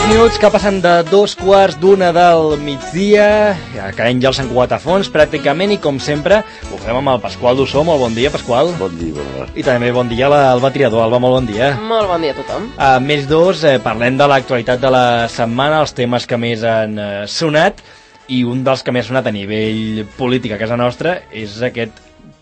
Minuts que passen de 2:15 del migdia, caient ja els Sant Cugat a fons pràcticament, i com sempre ho fem amb el Pasqual Dussó. Molt bon dia, Pasqual. Bon dia, Alba. I també bon dia a l'Alba Triador. Alba, molt bon dia. Molt bon dia a tothom. A més dos, parlem de l'actualitat de la setmana, els temes que més han sonat, i un dels que més ha sonat a nivell polític a casa nostra és aquest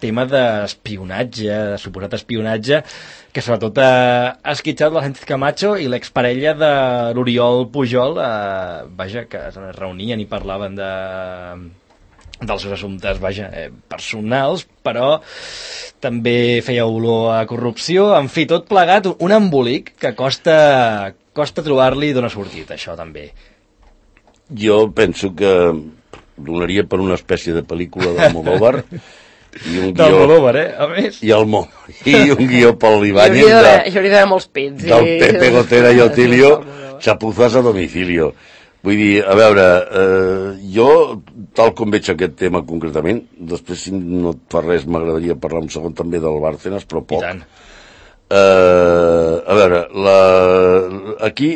tema d'espionatge, de suposat espionatge, que sobretot ha esquitxat la Sánchez Camacho i l'exparella de l'Oriol Pujol, vaja, que es reunien i parlaven dels seus assumptes, vaja, personals, però també feia olor a corrupció. En fi, tot plegat, un embolic que costa trobar-li d'on ha sortit, això també. Jo penso que donaria per una espècie de pel·lícula d'Almodóvar i un guió... D'Almodóvar, a més. I un guió pel Ibáñez hi hauria d'haver molts pits. Del Pepe Gotera i Otilio, Chapuzas a domicilio. Vull dir, a veure, jo, tal com veig aquest tema concretament, després, si no et fa res, m'agradaria parlar un segon també del Bárcenas, però poc. I tant. A veure, aquí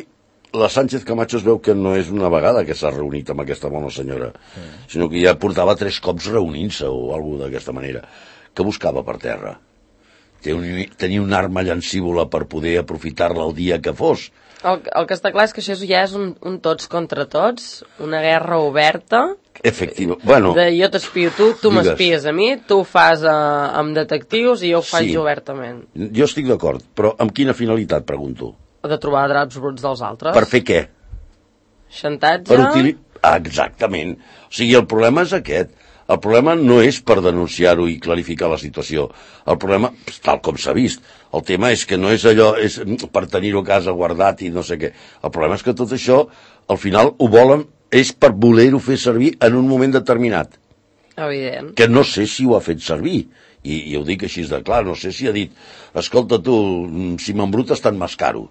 la Sánchez Camacho es veu que no és una vegada que s'ha reunit amb aquesta bona senyora, sinó que ja portava 3 cops reunint-se o alguna d'aquesta manera. Què buscava per terra? Tenia una arma llancívola per poder aprofitar-la el dia que fos. El que està clar és que això ja és un tots contra tots, una guerra oberta. Efectiva. Bueno, jo t'espio tu m'espies a mi, tu ho fas amb detectius i jo ho faig obertament. Jo estic d'acord, però amb quina finalitat, pregunto? De trobar draps bruts dels altres. Per fer què? Xantatge? Exactament. O sigui, el problema és aquest. El problema no és per denunciar-ho i clarificar la situació. El problema, tal com s'ha vist, el tema és que no és allò, és per tenir-ho a casa guardat i no sé què. El problema és que tot això, al final, ho volen, és per voler-ho fer servir en un moment determinat. Evident. Que no sé si ho ha fet servir. I ho dic així de clar, no sé si ha dit escolta tu, si m'embrutes tant m'escaro.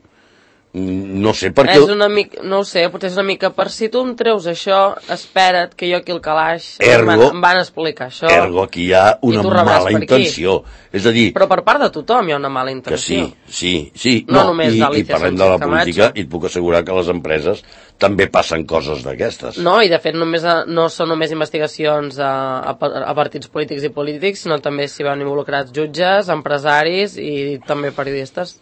No sé per què... No ho sé, potser és una mica per si tu em treus això, espera't que jo aquí al calaix em van explicar això. Ergo, aquí hi ha una mala intenció. És a dir... Però per part de tothom hi ha una mala intenció. Que sí. No només i parlem de la política i et puc assegurar que les empreses també passen coses d'aquestes. No, i de fet no són només investigacions a partits polítics i polítics, sinó també s'hi van involucrats jutges, empresaris i també periodistes,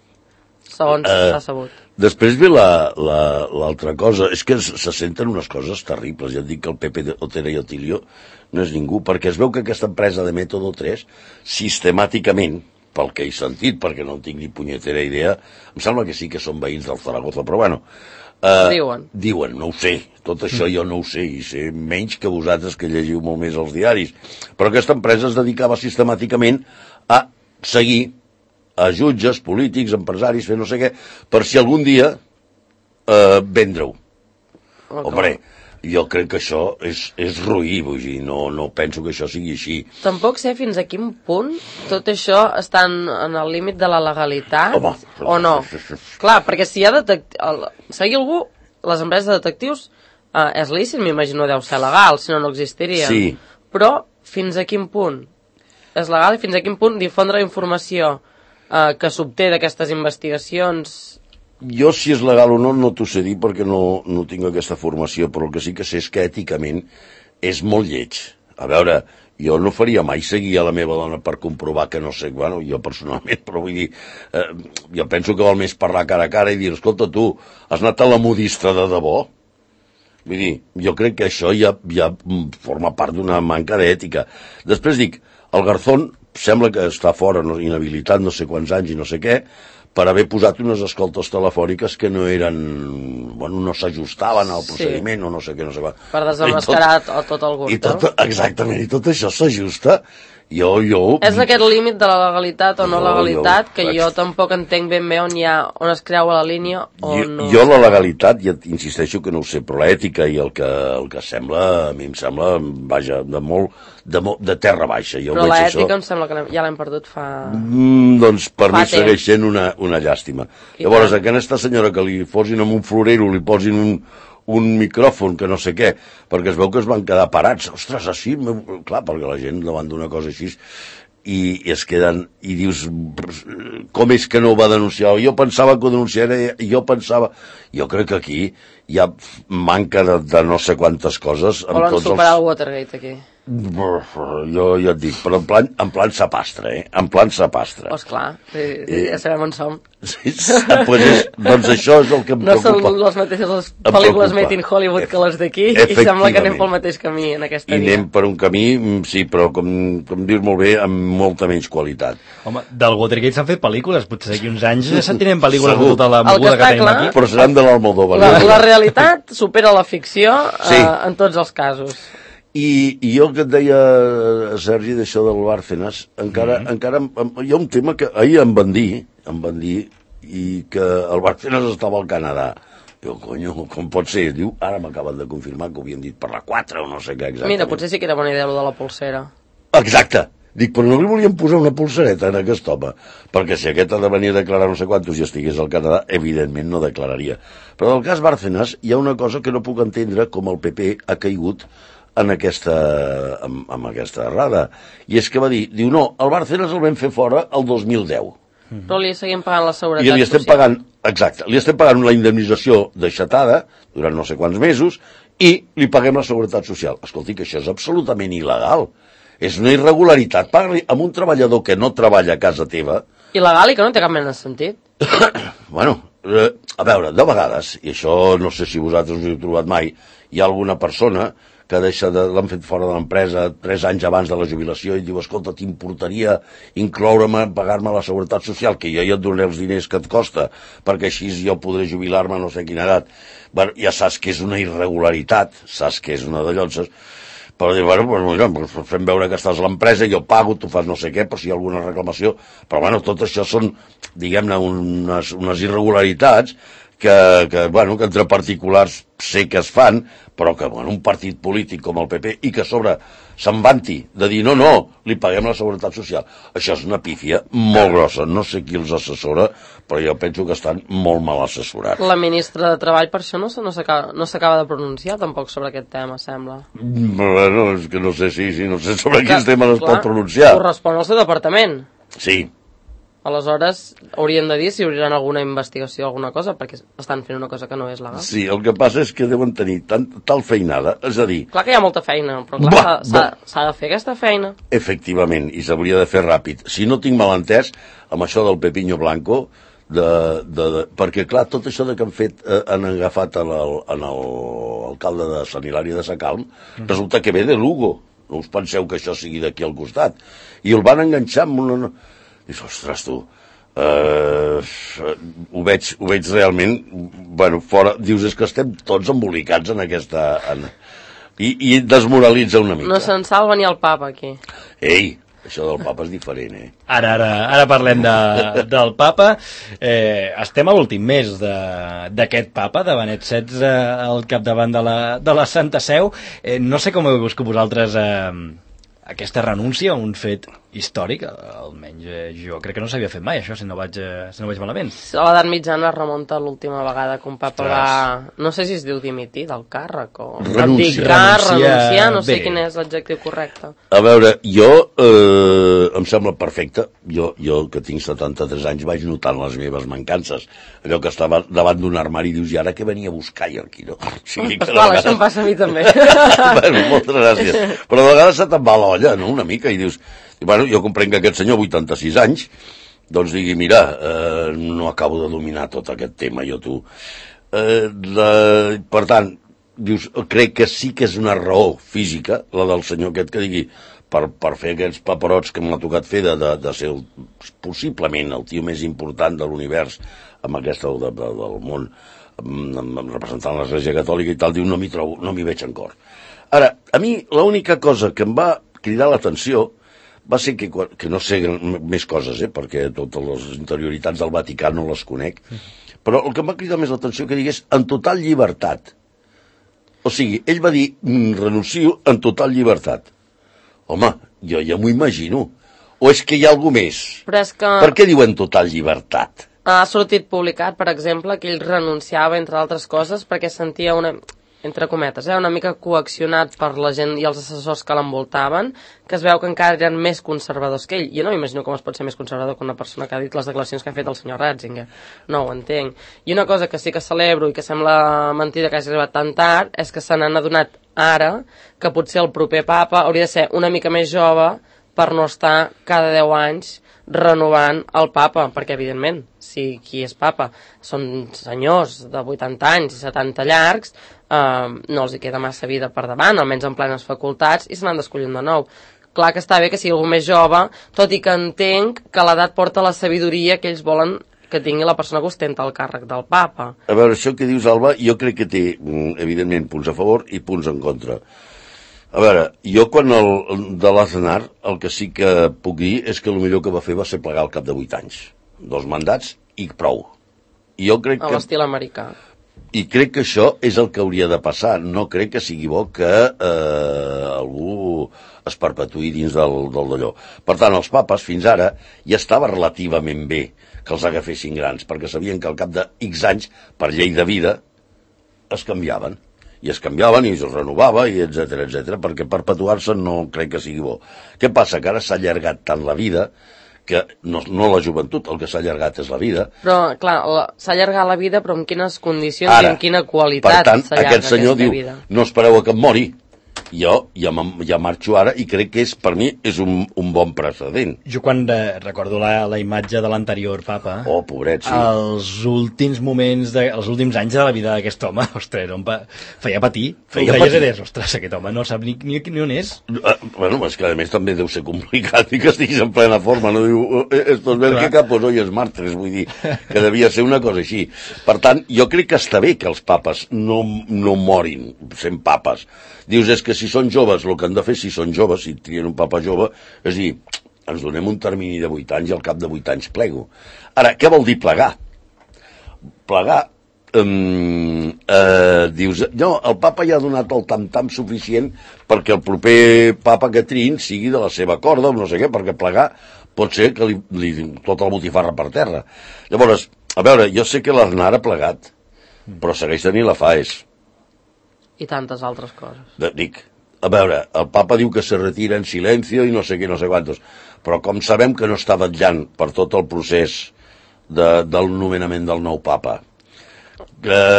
segons s'ha sabut. Després ve l'altra cosa, és que se senten unes coses terribles. Ja et dic que el Pepe Gotera i Otilio no és ningú, perquè es veu que aquesta empresa de Método 3, sistemàticament, pel que he sentit, perquè no en tinc ni punyetera idea, em sembla que sí que són veïns del Zaragoza, però bueno... Diuen, no ho sé, tot això jo no ho sé, i sé menys que vosaltres que llegiu molt més els diaris, però aquesta empresa es dedicava sistemàticament a seguir a jutges, polítics, empresaris, fer no sé què, per si algun dia vendre-ho. Hombre, jo crec que això és roí, vull dir, no penso que això sigui així. Tampoc sé fins a quin punt tot això està en el límit de la legalitat, o no. Clar, perquè si hi ha seguir algú, les empreses de detectius és lícit, m'imagino, deu ser legal, si no, no existirien. Sí. Però fins a quin punt és legal i fins a quin punt difondre la informació que s'obté d'aquestes investigacions? Jo, si és legal o no, no t'ho sé dir perquè no tinc aquesta formació, però el que sí que sé és que èticament és molt lleig. A veure, jo no faria mai seguir a la meva dona per comprovar que no sé, bueno, jo personalment, però vull dir, jo penso que val més parlar cara a cara i dir, escolta tu, has anat a la modista de debò? Vull dir, jo crec que això ja forma part d'una manca d'ètica. Després dic, el Garzón sembla que està fora, inhabilitat no sé quants anys i no sé què, per haver posat unes escoltes telefòniques que no eren... Bueno, no s'ajustaven al procediment o no sé què, no sé què. Per desemmascarar tot el gust. Exactament, i tot això s'ajusta. És aquest límit de la legalitat o no legalitat que jo tampoc entenc ben bé on es creua la línia o no. Jo la legalitat, ja insisteixo que no ho sé, però l'ètica i el que sembla, a mi em sembla, vaja, de terra baixa. Però l'ètica em sembla que ja l'hem perdut fa... Doncs per mi segueix sent una llàstima. Llavors, a aquesta senyora que li posin en un florero, li posin un micròfon, que no sé què, perquè es veu que es van quedar parats. Ostres, així, clar, perquè la gent davant d'una cosa així... i es queden, i dius, com és que no ho va denunciar? Jo pensava que ho denunciaria, jo crec que aquí hi ha manca de no sé quantes coses. Volen superar el Watergate aquí. Jo ja et dic, però en plan sapastre, en plan sapastre. Pues clar, ja sabem on som. Sí, doncs això és el que em preocupa. No són les mateixes pel·lícules made in Hollywood que les d'aquí, i sembla que anem pel mateix camí en aquesta via. I anem per un camí, sí, però com dius molt bé, amb molta menys qualitat. Home, del Watergate s'han fet pel·lícules, potser d'aquí uns anys ja sentirem pel·lícules de tota la moguda que tenim aquí. Però seran de l'Almodóvar. La realitat supera la ficció en tots els casos. I jo que et deia, Sergi, d'això del Bárcenas, encara hi ha un tema que ahir em van dir, i que el Bárcenas estava al Canadà. Jo, conyo, com pot ser? Diu, ara m'acaben de confirmar que ho havien dit per la 4 o no sé què exactament. Mira, potser sí que era bona idea, de la polsera. Exacte. Dic, però no li volíem posar una polsereta en aquest home, perquè si aquest ha de venir a declarar no sé quantos i estigués al Canadà, evidentment no declararia. Però del cas Bárcenas hi ha una cosa que no puc entendre com el PP ha caigut en aquesta errada. I és que va dir, no, el Bárcenas el vam fer fora el 2010. Però li seguim pagant la seguretat social. I li estem pagant, exacte, li estem pagant la indemnització deixatada durant no sé quants mesos i li paguem la seguretat social. Escolti, que això és absolutament il·legal. És una irregularitat. Pagar-li amb un treballador que no treballa a casa teva. Il·legal i que no té cap mena de sentit. Bueno, a veure, de vegades, i això no sé si vosaltres us heu trobat mai, hi ha alguna persona que l'han fet fora de l'empresa 3 anys abans de la jubilació i diu, escolta, t'importaria incloure-me, pagar-me la seguretat social, que jo ja et donaré els diners que et costa, perquè així jo podré jubilar-me a no sé quina edat. Bueno, ja saps que és una irregularitat, saps que és una de llonces, però dir, bueno, fem veure que estàs a l'empresa, jo pago, tu fas no sé què, per si hi ha alguna reclamació, però bueno, tot això són, diguem-ne, unes irregularitats que entre particulars sé que es fan, però que un partit polític com el PP i que a sobre se'n vanti de dir no, li paguem la seguretat social. Això és una pífia molt grossa. No sé qui els assessora, però jo penso que estan molt mal assessorats. La ministra de Treball per això no s'acaba de pronunciar tampoc sobre aquest tema, sembla. Bueno, és que no sé no sé sobre quins temes es pot pronunciar. Correspon al seu departament. Sí. Aleshores, haurien de dir si obriran alguna investigació o alguna cosa, perquè estan fent una cosa que no és legal. Sí, el que passa és que deuen tenir tal feinada, és a dir... Clar que hi ha molta feina, però clar, s'ha de fer aquesta feina. Efectivament, i s'hauria de fer ràpid. Si no tinc mal entès, amb això del Pepiño Blanco, perquè clar, tot això que han agafat l'alcalde de Sant Hilari de Sacalm, resulta que ve de Lugo. No us penseu que això sigui d'aquí al costat. I el van enganxar amb una... Dius, ostres, tu, ho veig realment, fora, dius, és que estem tots embolicats en aquesta... I desmoralitza una mica. No se'n salva ni el papa, aquí. Ei, això del papa és diferent, Ara parlem del papa. Estem a l'últim mes d'aquest papa, de Benet XVI al capdavant de la Santa Seu. No sé com heu viscut vosaltres aquesta renúncia, un fet històric, almenys jo crec que no s'havia fet mai, això, si no vaig malament. A l'edat mitjana es remunta l'última vegada que un papa va... No sé si es diu dimitir del càrrec o... Renunciar, no sé quin és l'adjectiu correcte. A veure, jo em sembla perfecte. Jo que tinc 73 anys, vaig notant les meves mancances. Allò que estava davant d'un armari i dius, i ara què venia a buscar jo aquí, no? Pasqual, això em passa a mi també. Bueno, moltes gràcies. Però de vegades se te'n va l'olla, no?, una mica, i dius... Bueno, jo comprenc que aquest senyor, 86 anys, doncs digui, mira, no acabo de dominar tot aquest tema, jo tu. Per tant, dius, crec que sí que és una raó física, la del senyor aquest que digui, per fer aquests paperots que m'ha tocat fer de ser possiblement el tio més important de l'univers amb aquesta del món, representant l'Església Catòlica i tal, diu, no m'hi veig en cor. Ara, a mi l'única cosa que em va cridar l'atenció va ser que no sé més coses, perquè totes les interioritats del Vaticà no les conec, però el que em va cridar més l'atenció que digués en total llibertat. O sigui, ell va dir renuncio en total llibertat. Home, jo ja m'ho imagino. O és que hi ha alguna més? Però és que... Per què diuen total llibertat? Ha sortit publicat, per exemple, que ell renunciava, entre altres coses, perquè sentia una... entre cometes, una mica coaccionat per la gent i els assessors que l'envoltaven, que es veu que encara eren més conservadors que ell. Jo no m'imagino com es pot ser més conservador que una persona que ha dit les declaracions que ha fet el senyor Ratzinger. No ho entenc. I una cosa que sí que celebro i que sembla mentida que hagi arribat tan tard és que se n'han adonat ara que potser el proper papa hauria de ser una mica més jove per no estar cada 10 anys renovant el papa, perquè evidentment si qui és papa són senyors de 80 anys i 70 llargs, no els hi queda massa vida per davant, almenys en plenes facultats, i se n'han d'escollir de nou. Clar que està bé que sigui algú més jove, tot i que entenc que l'edat porta la sabidoria que ells volen que tingui la persona que ostenta el càrrec del papa. A veure, això que dius, Alba, jo crec que té, evidentment, punts a favor i punts en contra. A veure, jo quan de l'Aznar, el que sí que puc dir és que el millor que va fer va ser plegar al cap de 8 anys. 2 mandats i prou. I jo crec a l'estil americà. I crec que això és el que hauria de passar. No crec que sigui bo que algú es perpetuï dins del d'allò. Per tant, els papes fins ara ja estava relativament bé que els agafessin grans, perquè sabien que al cap de X anys, per llei de vida, es canviaven. I es canviaven i es renovava, i etc, perquè perpetuar-se no crec que sigui bo. Què passa? Que ara s'ha allargat tant la vida que no la joventut, el que s'ha allargat és la vida. Però, clar, s'ha allargat la vida, però en quines condicions ara, i en quina qualitat s'allarga aquesta vida. Per tant, aquest senyor diu, no espereu a que em mori. Jo ja marxo ara i crec que per mi és un bon precedent. Jo quan recordo la imatge de l'anterior papa, pobret, sí. Els últims moments, els últims anys de la vida d'aquest home, ostres, feia patir. Ostres, aquest home no sap ni on és. Bueno, és que a més també deu ser complicat i que estiguis en plena forma, no diu, estos ven que capos hoy es martres, vull dir, que devia ser una cosa així. Per tant, jo crec que està bé que els papes no morin sent papes. Dius, és que si són joves, el que han de fer si són joves, si trien un papa jove, és dir, ens donem un termini de 8 anys i al cap de 8 anys plego. Ara, què vol dir plegar? Plegar, dius, no, el papa ja ha donat el tam-tam suficient perquè el proper papa que triïn sigui de la seva corda o no sé què, perquè plegar pot ser que li tot el botifarra per terra. Llavors, a veure, jo sé que l'Aznar ha plegat, però segueix tenint la FAES. I tantes altres coses. Dic, a veure, el papa diu que se retira en silenci i no sé què, no sé quantos, però com sabem que no està vetllant per tot el procés del nomenament del nou papa,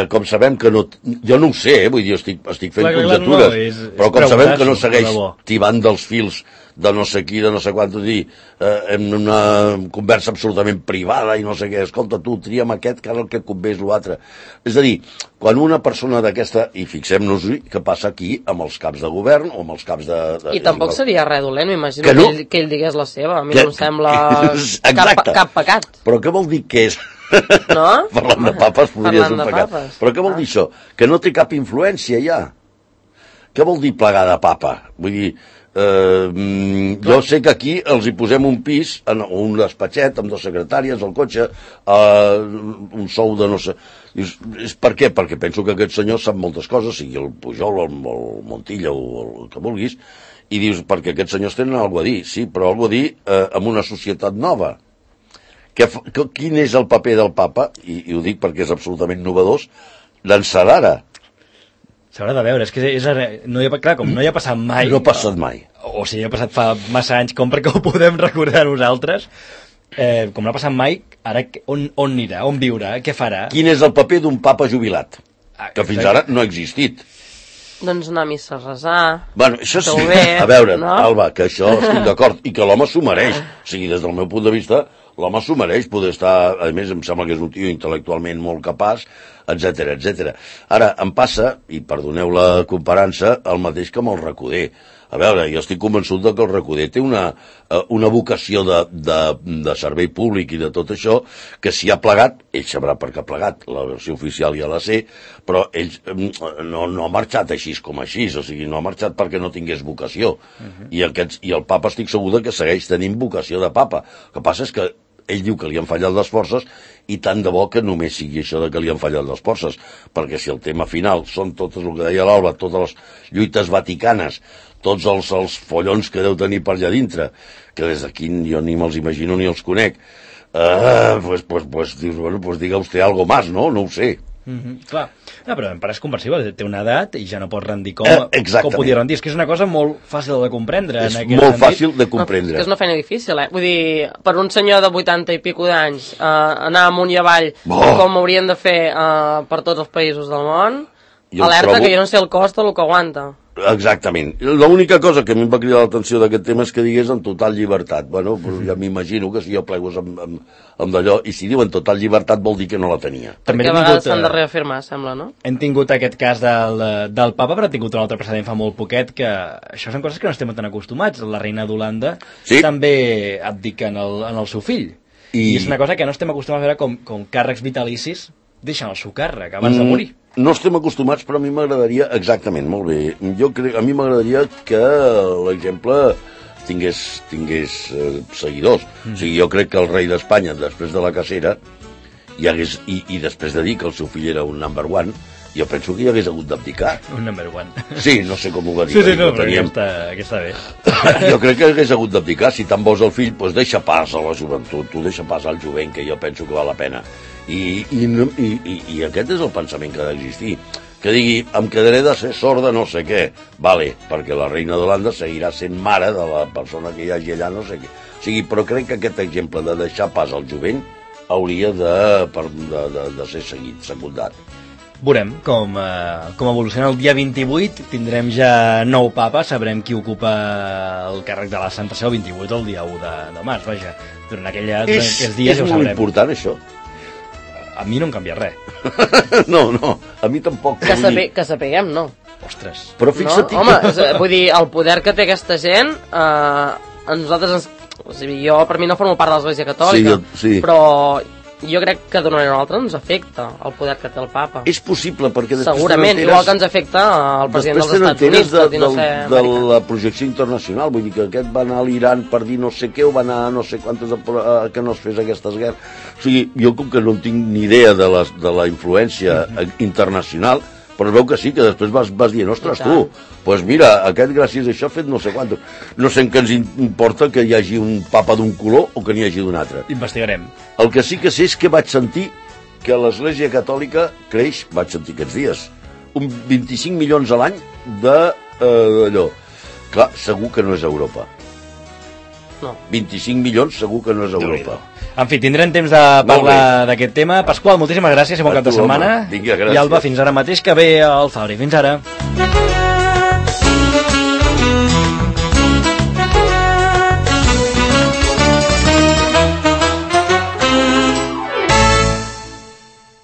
com sabem que no... Jo no ho sé, vull dir, estic fent conjectures, però com sabem que no segueix tibant dels fils de no sé qui, de no sé quant, dir, en una conversa absolutament privada i no sé què, escolta, tu, tria'm aquest, que ara el que et convé és l'altre. És a dir, quan una persona d'aquesta, i fixem-nos què passa aquí amb els caps de govern o amb els caps de... I tampoc seria res dolent, m'imagino que ell digués la seva, a mi no em sembla cap pecat. Però què vol dir que és? No? Parlant de papes podria ser un pecat. Però què vol dir això? Que no té cap influència ja. Què vol dir plegar de papa? Vull dir, jo sé que aquí els hi posem un pis, un despatxet amb 2 secretàries, el cotxe, un sou de no sé... És per què? Perquè penso que aquest senyor sap moltes coses, sigui el Pujol, el Montilla o el que vulguis, i dius, perquè aquests senyors tenen alguna a dir, sí, però alguna a dir en una societat nova. Quin és el paper del papa, i ho dic perquè és absolutament novedós, d'ençà s'haurà de veure, és que com no hi ha passat mai. No ha passat mai. O sigui, ha passat fa massa anys com perquè ho podem recordar nosaltres. Com no ha passat mai, ara on anirà, on viurà, què farà? Quin és el paper d'un papa jubilat? Que fins ara no ha existit. Doncs anar a missa a resar. Bueno, això sí, a veure, Alba, que això estic d'acord, i que l'home s'ho mereix. O sigui, des del meu punt de vista, l'home s'ho mereix poder estar, a més em sembla que és un tio intel·lectualment molt capaç, etc. Ara, em passa, i perdoneu la comparança, el mateix que amb el Recoder. A veure, jo estic convençut que el Recoder té una vocació de servei públic i de tot això, que si ha plegat, ell sabrà per què ha plegat, la versió oficial ja la sé, però ell no ha marxat així com així, o sigui, no ha marxat perquè no tingués vocació. I el papa estic segur que segueix tenint vocació de papa. El que passa és que ell diu que li han fallat les forces i tant de bo que només sigui això de que li han fallat les forces, perquè si el tema final són totes, el que deia l'Alba, totes les lluites vaticanes, tots els follons que deu tenir per allà dintre, que des d'aquí jo ni me'ls imagino ni els conec, pues dius, bueno, pues diga usted algo más, no? No ho sé. Clar, no, però em pareix comprensible, té una edat i ja no pot rendir com podia rendir. És que és una cosa molt fàcil de comprendre. És molt fàcil de comprendre. És una feina difícil, Vull dir, per un senyor de 80 i pico d'anys anar amunt i avall com haurien de fer per tots els països del món, alerta que jo no sé el cost del que aguanta. Exactament. L'única cosa que a mi em va cridar l'atenció d'aquest tema és que digués en total llibertat. Bueno, ja m'imagino que si jo plego amb d'allò, i si diuen total llibertat vol dir que no la tenia. Perquè a vegades s'han de reafirmar, sembla, no? Hem tingut aquest cas del papa, però hem tingut un altre precedent fa molt poquet, que això són coses que no estem tan acostumats. La reina d'Holanda també abdica en el seu fill. I és una cosa que no estem acostumats a veure com càrrecs vitalicis deixen el seu càrrec abans de morir. No estem acostumats, però a mi m'agradaria... Exactament, molt bé. A mi m'agradaria que l'exemple tingués seguidors. O sigui, jo crec que el rei d'Espanya, després de la cacera, i després de dir que el seu fill era un number one, jo penso que hi hagués hagut d'abdicar. Un number one. Sí, no sé com ho va dir. Sí, no, però aquesta bé. Jo crec que hagués hagut d'abdicar. Si tant vols el fill, doncs deixa pas a la joventut, tu deixa pas al jovent, que jo penso que val la pena. I aquest és el pensament que ha d'existir. Que digui, em quedaré de ser sorda no sé què. Vale, perquè la reina d'Holanda seguirà sent mare de la persona que hi hagi allà, no sé què. O sigui, però crec que aquest exemple de deixar pas al jovent hauria de ser seguit, secundat. Veurem com evoluciona el dia 28, tindrem ja nou papa, sabrem qui ocupa el càrrec de la Santa Seu el 28 el dia 1 de març, vaja. Durant aquests dies ja ho sabrem. És molt important, això. A mi no em canvia res. No, a mi tampoc. Que sapiguem, no. Ostres. Però fixa't... No? Home, vull dir, el poder que té aquesta gent, a nosaltres, jo per mi no formo part de l'Església Catòlica, però jo crec que d'una manera o altra ens afecta el poder que té el papa. És possible, perquè després segurament, igual que ens afecta el president dels Estats Units, de la projecció internacional, vull dir que aquest va anar a l'Iran per dir no sé què, o va anar a no sé quantes que no es fes aquestes guerres. O sigui, jo com que no tinc ni idea de la influència internacional, però veu que sí, que després vas dient, ostres, tu, doncs mira, aquest gràcies a això ha fet no sé quant. No sé en què ens importa que hi hagi un papa d'un color o que n'hi hagi d'un altre. Investigarem. El que sí que sé és que vaig sentir que l'Església Catòlica creix, vaig sentir aquests dies, un 25 milions a l'any d'allò. Clar, segur que no és Europa. No. 25 milions segur que no és Europa. En fi, tindrem temps de parlar d'aquest tema. Pasqual, moltíssimes gràcies i bon cap de setmana. Vinga, gràcies. I Alba, fins ara mateix, que ve al Fabri. Fins ara.